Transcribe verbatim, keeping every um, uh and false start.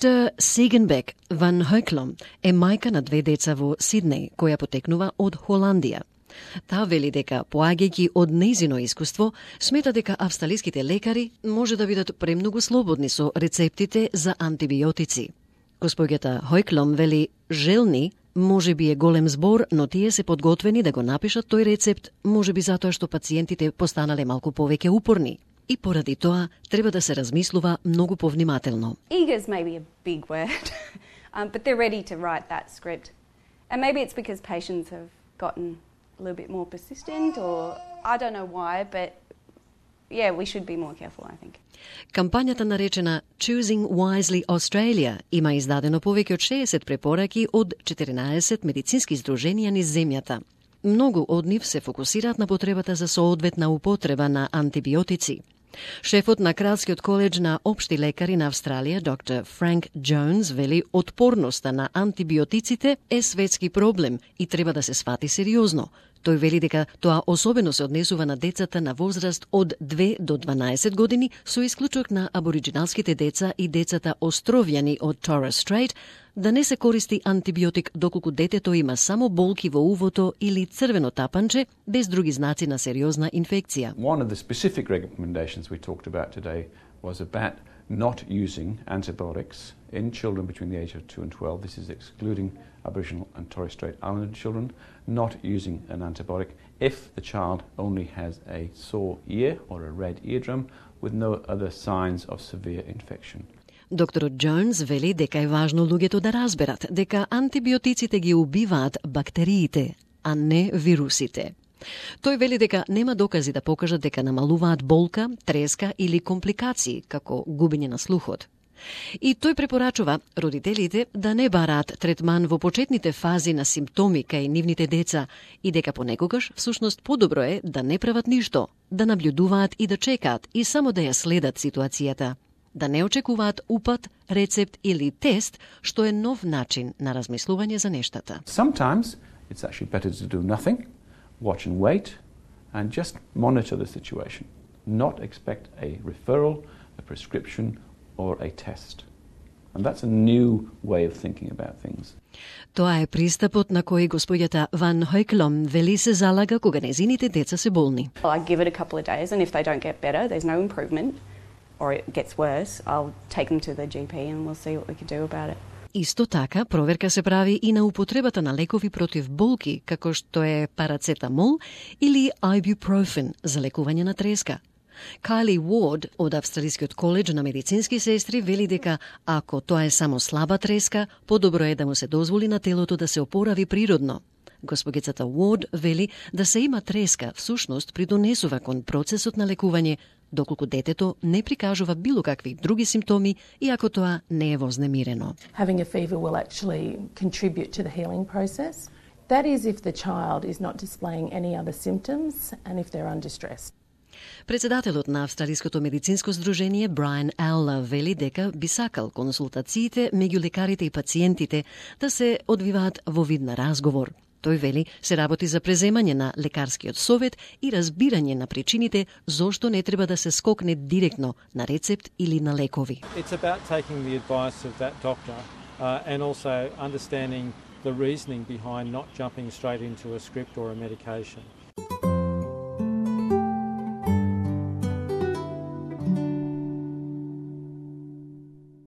Естер Сигенбек ван Хойклом е мајка на две деца во Сиднеј, која потекнува од Холандија. Таа вели дека, поаѓајќи од нејзино искуство, смета дека австралиските лекари може да бидат премногу слободни со рецептите за антибиотици. Господјата Хойклом вели, желни може би е голем збор, но тие се подготвени да го напишат тој рецепт, може би затоа што пациентите постанале малку повеќе упорни. И поради тоа треба да се размислува многу повнимателно. Eager's maybe a big word, um, but they're ready to write that script. And maybe it's because patients have gotten a little bit more persistent, or I don't know why, but yeah, we should be more careful, I think. Кампањата наречена Choosing Wisely Australia има издадено повеќе од шеесет препораки од четиринаесет медицински здруженија низ земјата. Многу од нив се фокусираат на потребата за соодветна употреба на антибиотици. Шефот на Кралскиот коледж на општи лекари на Австралија, доктор Франк Джонс, вели отпорноста на антибиотиците е светски проблем и треба да се свати сериозно. Тој вели дека тоа особено се однесува на децата на возраст од две до дванаесет години, со исклучок на абориджиналските деца и децата островјани од Torres Strait, да не се користи антибиотик доколку детето има само болки во увото или црвено тапанче без други знаци на сериозна инфекција. One of the specific recommendations we talked about today was about not using antibiotics in children between the age of two and twelve. This is excluding Aboriginal and Torres Strait Islander children, not using an antibiotic if the child only has a sore ear or a red eardrum with no other signs of severe infection. Докторот Джонс вели дека е важно луѓето да разберат дека антибиотиците ги убиваат бактериите, а не вирусите. Тој вели дека нема докази да покажат дека намалуваат болка, треска или компликации, како губење на слухот. И тој препорачува родителите да не бараат третман во почетните фази на симптоми кај нивните деца и дека понекогаш всушност подобро е да не прават ништо, да наблюдуваат и да чекаат и само да ја следат ситуацијата. Да не очекуваат упат, рецепт или тест, што е нов начин на размислување за нештата. Sometimes it's actually better to do nothing, watch and wait, and just monitor the situation. Not expect a referral, a prescription, or a test. And that's a new way of thinking about things. Тоа е пристапот на кој господјата Ван Хойклом вели се залага кога незините деца се болни. I give it a couple of days, and if they don't get better, there's no improvement, or it gets worse, I'll take them to the G P and we'll see what we can do about it. Исто така, проверка се прави и на употребата на лекови против болки, како што е парацетамол или ibuprofen за лекување на треска. Кайли Уорд од Австралискиот коледж на медицински сестри вели дека ако тоа е само слаба треска, подобро е да му се дозволи на телото да се опорави природно. Госпогицата Уорд вели да се има треска всушност придонесува кон процесот на лекување, доколку детето не прикажува било какви други симптоми и ако тоа не е вознемирено. Having a fever will actually contribute to the healing process. That is if the child is not displaying any other symptoms and if they're undistressed. Председателот на Австралиското медицинско здружение Брайан Алла вели дека би сакал консултациите меѓу лекарите и пациентите да се одвиваат во вид на разговор. Тој вели се работи за преземање на лекарскиот совет и разбирање на причините зошто не треба да се скокне директно на рецепт или на лекови. It's about taking the advice of that doctor uh, and also understanding the reasoning behind not jumping straight into a script or a medication.